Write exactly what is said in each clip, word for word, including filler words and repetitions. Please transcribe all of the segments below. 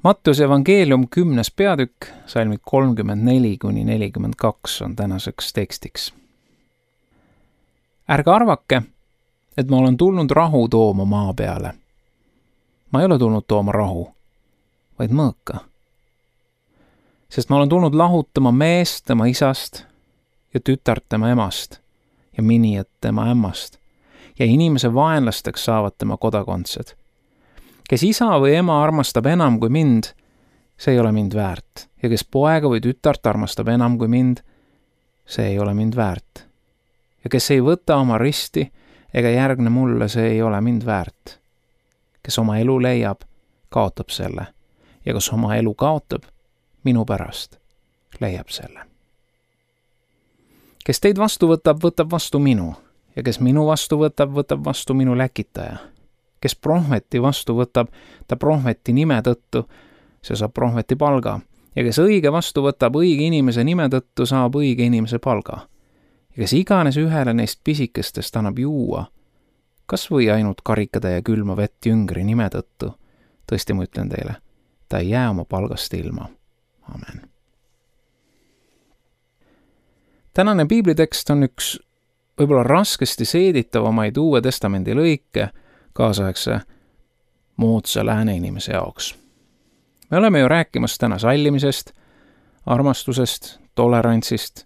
Matteuse evangeelium kümnes peatükk, salmid kolmkümmend neli kuni nelikümmend kaks on tänaseks tekstiks. Ärge arvake, et ma olen tulnud rahu tooma maa peale. Ma ei ole tulnud tooma rahu, vaid mõõka. Sest ma olen tulnud lahutama meest tema isast ja tütart tema emast ja minijat tema ämmast ja inimese vaenlasteks saavad tema kodakondsed. Kes isa või ema armastab enam kui mind, see ei ole mind väärt. Ja kes poega või tütart armastab enam kui mind, see ei ole mind väärt. Ja kes ei võta oma risti ega järgne mulle, see ei ole mind väärt. Kes oma elu leiab, kaotab selle. Ja kes oma elu kaotab, minu pärast leiab selle. Kes teid vastu võtab, võtab vastu minu. Ja kes minu vastu võtab, võtab vastu minu läkitaja. Kes prohveti vastu võtab, ta prohveti nime tõttu, see saab prohveti palga. Ja kes õige vastu võtab õige inimese nime tõttu, saab õige inimese palga. Ja kes iganes ühele neist pisikestest annab juua, kas või ainult karikada ja külma vett jüngri nime tõttu, tõesti ma ütlen teile, ta ei jää oma palgast ilma. Amen. Tänane piiblitekst on üks võib-olla raskesti seeditavamaid Uue Testamendi lõike kaasaegse moodsa lääne inimese jaoks. Me oleme ju rääkimas täna sallimisest, armastusest, tolerantsist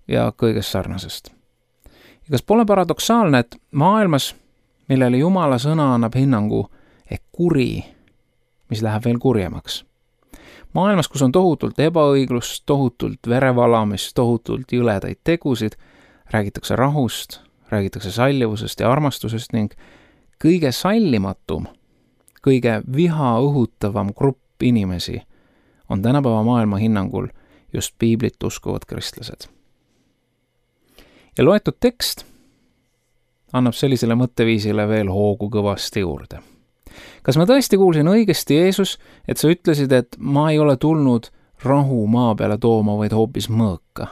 ja kõigest sarnasest. Ja kas pole paradoksaalne, et maailmas, millele Jumala sõna annab hinnangu ehk kuri, mis läheb veel kurjemaks. Maailmas, kus on tohutult ebaõiglust, tohutult verevalamist, tohutult jõledaid tegusid, räägitakse rahust, räägitakse sallivusest ja armastusest ning kõige sallimatum, kõige viha õhutavam grupp inimesi on tänapäeva maailma hinnangul just piiblit uskuvad kristlased. Ja loetud tekst annab sellisele mõtteviisile veel hoogu kõvasti juurde. Kas ma tõesti kuulsin õigesti, Jeesus, et sa ütlesid, et ma ei ole tulnud rahu maa peale tooma, vaid hoopis mõõka?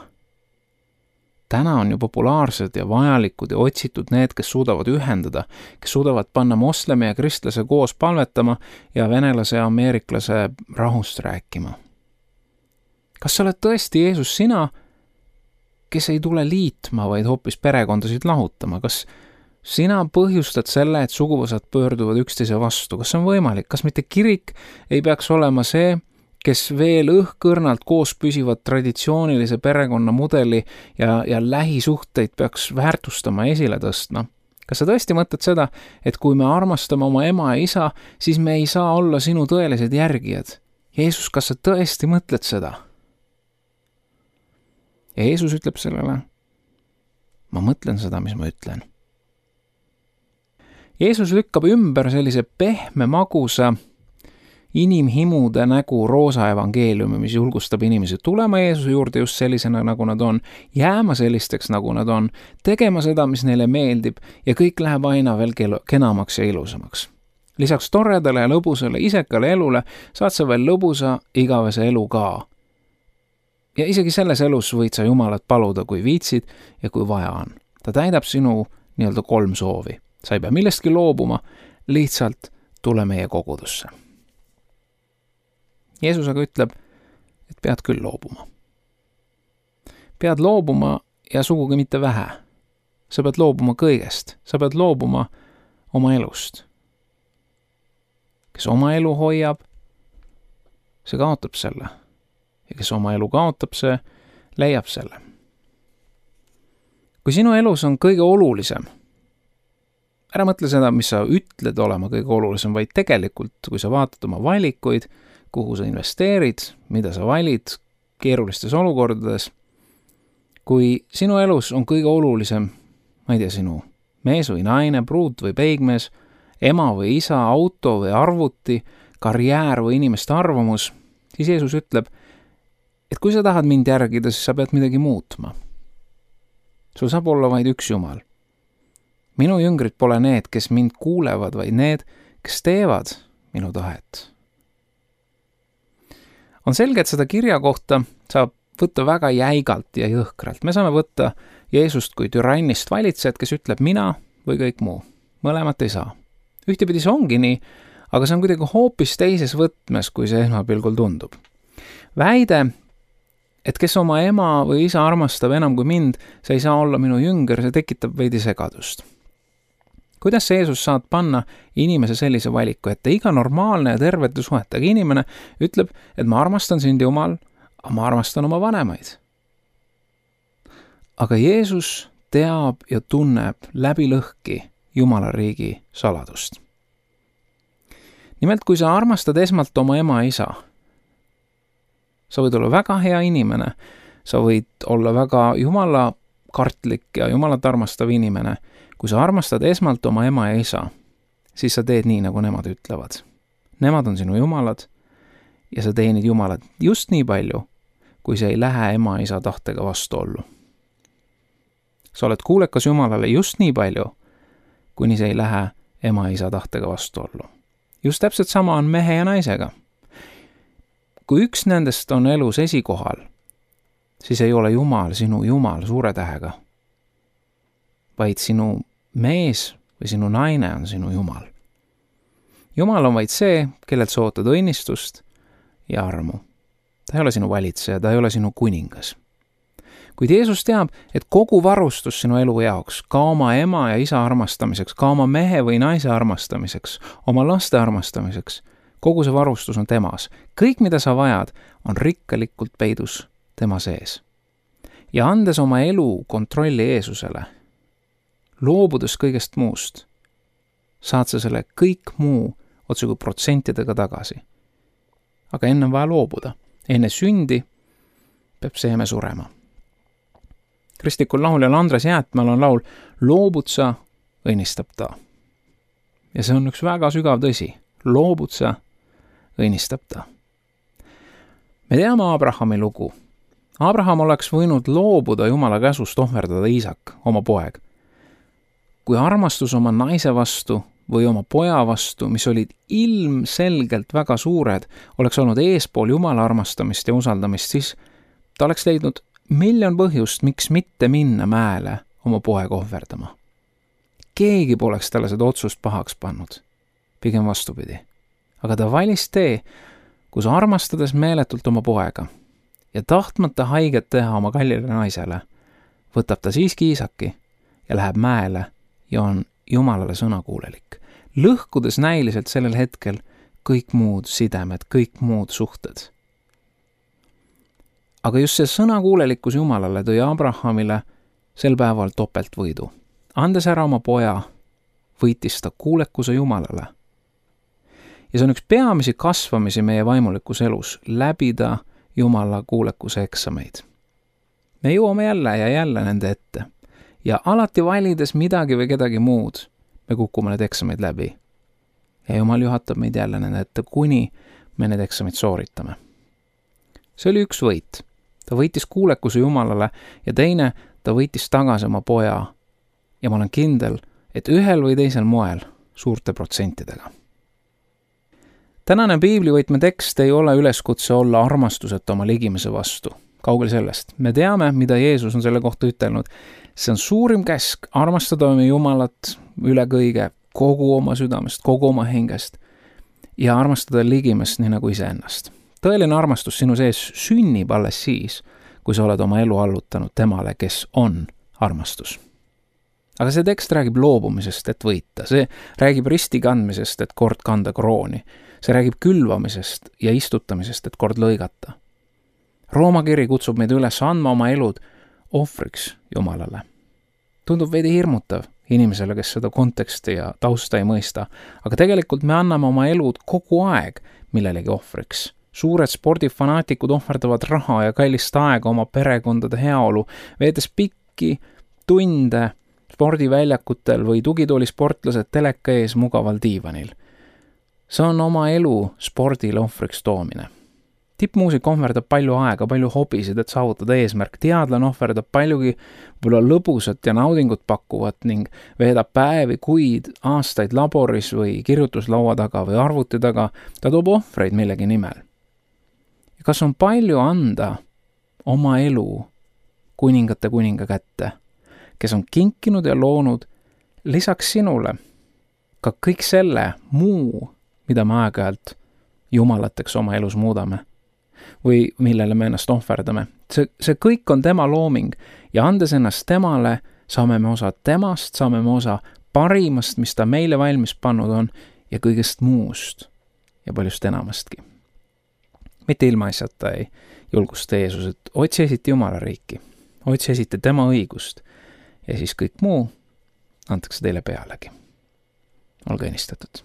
Täna on ju populaarsed ja vajalikud ja otsitud need, kes suudavad ühendada, kes suudavad panna moslemi ja kristlase koos palvetama ja venelase ja ameeriklase rahust rääkima. Kas sa oled tõesti Jeesus sina, kes ei tule liitma, vaid hoopis perekondasid lahutama? Kas sina põhjustad selle, et suguvõsad pöörduvad üksteise vastu? Kas see on võimalik? Kas mitte kirik ei peaks olema see, kes veel õhkõrnalt koos püsivad traditsioonilise perekonna mudeli ja, ja lähisuhteid peaks väärtustama ja esile tõstma? Kas sa tõesti mõtled seda, et kui me armastame oma ema ja isa, siis me ei saa olla sinu tõelised järgijad? Jeesus, kas sa tõesti mõtled seda? Ja Jeesus ütleb sellele, ma mõtlen seda, mis ma ütlen. Jeesus lükkab ümber sellise pehme magusa inimhimude nägu roosa evangeeliumi, mis julgustab inimesi tulema Jeesuse juurde just sellisena, nagu nad on, jääma sellisteks, nagu nad on, tegema seda, mis neile meeldib ja kõik läheb aina veel kenamaks ja ilusamaks. Lisaks toredale ja lõbusale isekale elule saad sa veel lõbusa igavese elu ka. Ja isegi selles elus võid sa Jumalat paluda, kui viitsid ja kui vaja on. Ta täidab sinu nii-öelda kolm soovi. Sa ei pea millestki loobuma, lihtsalt tule meie kogudusse. Jeesus aga ütleb, et pead küll loobuma. Pead loobuma ja sugugi mitte vähe. Sa pead loobuma kõigest. Sa pead loobuma oma elust. Kes oma elu hoiab, see kaotab selle. Ja kes oma elu kaotab, see leiab selle. Kui sinu elus on kõige olulisem, ära mõtle seda, mis sa ütled olema kõige olulisem, vaid tegelikult, kui sa vaatad oma valikuid, kuhu sa investeerid, mida sa valid keerulistes olukordades. Kui sinu elus on kõige olulisem, ma ei tea, sinu mees või naine, pruut või peigmees, ema või isa, auto või arvuti, karjäär või inimeste arvamus, siis Jeesus ütleb, et kui sa tahad mind järgida, siis sa pead midagi muutma. Sul saab olla vaid üks Jumal. Minu jüngrid pole need, kes mind kuulevad, vaid need, kes teevad minu tahet. On selge, et seda kirja kohta saab võtta väga jäigalt ja jõhkralt. Me saame võtta Jeesust kui türannist valitsejat, kes ütleb mina või kõik muu. Mõlemat ei saa. Ühtepidi see ongi nii, aga see on kuidagi hoopis teises võtmes, kui see esmapilgul tundub. Väide, et kes oma ema või isa armastab enam kui mind, see ei saa olla minu jünger, see tekitab veidi segadust. Kuidas see Jeesus saad panna inimese sellise valiku, et iga normaalne ja tervete suhetega inimene ütleb, et ma armastan sind Jumal, aga ma armastan oma vanemaid. Aga Jeesus teab ja tunneb läbi lõhki Jumala riigi saladust. Nimelt, kui sa armastad esmalt oma ema ja isa, sa võid olla väga hea inimene, sa võid olla väga Jumala kartlik ja Jumalat armastav inimene. Kui sa armastad esmalt oma ema ja isa, siis sa teed nii, nagu nemad ütlevad. Nemad on sinu Jumalad ja sa teenid Jumalat just nii palju, kui see ei lähe ema ja isa tahtega vastuollu. Sa oled kuulekas Jumalale just nii palju, kuni see ei lähe ema ja isa tahtega vastuollu. Just täpselt sama on mehe ja naisega. Kui üks nendest on elus esikohal, siis ei ole Jumal sinu Jumal suure tähega, vaid sinu mees või sinu naine on sinu Jumal. Jumal on vaid see, kellelt sa ootad õnnistust ja armu. Ta ei ole sinu valitseja, ta ei ole sinu kuningas. Kuid Jeesus teab, et kogu varustus sinu elu jaoks, ka oma ema ja isa armastamiseks, ka oma mehe või naise armastamiseks, oma laste armastamiseks, kogu see varustus on temas. Kõik, mida sa vajad, on rikkalikult peidus tema sees. Ja andes oma elu kontrolli Jeesusele, loobudes kõigest muust, saad sa selle kõik muu otsugu protsentidega tagasi. Aga enne on vaja loobuda. Enne sündi peab seeme surema. Kristlikul lauljal Andres Jäätmäel on laul Loobud sa, õnnistab ta. Ja see on üks väga sügav tõsi. Loobud sa, õnnistab ta. Me teame Abrahami lugu. Abraham oleks võinud loobuda Jumala käsust ohverdada Iisak, oma poeg. Kui armastus oma naise vastu või oma poja vastu, mis olid ilmselgelt väga suured, oleks olnud eespool Jumala armastamist ja usaldamist, siis ta oleks leidnud miljon põhjust, miks mitte minna mäele oma poeg ohverdama. Keegi poleks talle seda otsust pahaks pannud, pigem vastupidi. Aga ta valis tee, kus armastades meeletult oma poega ja tahtmata haiget teha oma kallile naisele, võtab ta siiski Iisaki ja läheb mäele ja on Jumalale sõnakuulelik, lõhkudes näiliselt sellel hetkel kõik muud sidemed, kõik muud suhted. Aga just see sõnakuulelikkus Jumalale tõi Abrahamile sel päeval topeltvõidu. Andes ära oma poja, võitis ta kuulekuse Jumalale. Ja see on üks peamisi kasvamisi meie vaimulikus elus, läbida Jumala kuulekuse eksameid. Me jõuame jälle ja jälle nende ette. Ja alati valides midagi või kedagi muud, me kukume need eksamid läbi. Ja Jumal juhatab meid jälle nende ette, kuni me need eksamid sooritame. See oli üks võit. Ta võitis kuulekuse Jumalale ja teine, ta võitis tagasi oma poja. Ja ma olen kindel, et ühel või teisel moel suurte protsentidega. Tänane piiblivõtme tekst ei ole üleskutse olla armastuseta oma ligimese vastu. Kaugel sellest. Me teame, mida Jeesus on selle kohta ütelnud. See on suurim käsk armastada oma Jumalat üle kõige, kogu oma südamest, kogu oma hingest ja armastada ligimest nii nagu iseennast. Tõeline armastus sinu sees sünnib alles siis, kui sa oled oma elu allutanud temale, kes on armastus. Aga see tekst räägib loobumisest, et võita. See räägib risti kandmisest, et kord kanda krooni. See räägib külvamisest ja istutamisest, et kord lõigata. Rooma kiri kutsub meid üles andma oma elud ohvriks Jumalale. Tundub veidi hirmutav inimesele, kes seda konteksti ja tausta ei mõista, aga tegelikult me anname oma elud kogu aeg millelegi ohvriks. Suured spordifanaatikud ohverdavad raha ja kallist aega oma perekondade heaolu, veedes pikki tunde spordiväljakutel või tugitoolisportlased teleka ees mugaval diivanil. See on oma elu spordile ohvriks toomine. Tippmuusik ohverdab palju aega, palju hobisid, et saavutada eesmärk. Teadlane ohverdab paljugi võib-olla lõbusat ja naudingut pakkuvat ning veedab päevi, kuid, aastaid laboris või kirjutuslaua taga või arvuti taga. Ta toob ohvreid millegi nimel. Ja kas on palju anda oma elu kuningate kuninga kätte, kes on kinkinud ja loonud lisaks sinule ka kõik selle muu, mida me aeg-ajalt jumalateks oma elus muudame või millele me ennast ohverdame. See, see kõik on tema looming ja andes ennast temale, saame me osa temast, saame me osa parimast, mis ta meile valmis pannud on ja kõigest muust ja paljust enamastki. Mitte ilmaasjata ei julgusta Jeesus, et otsi esiti Jumala riiki, otsi esiti tema õigust ja siis kõik muu antakse teile pealegi. Olge õnnistatud.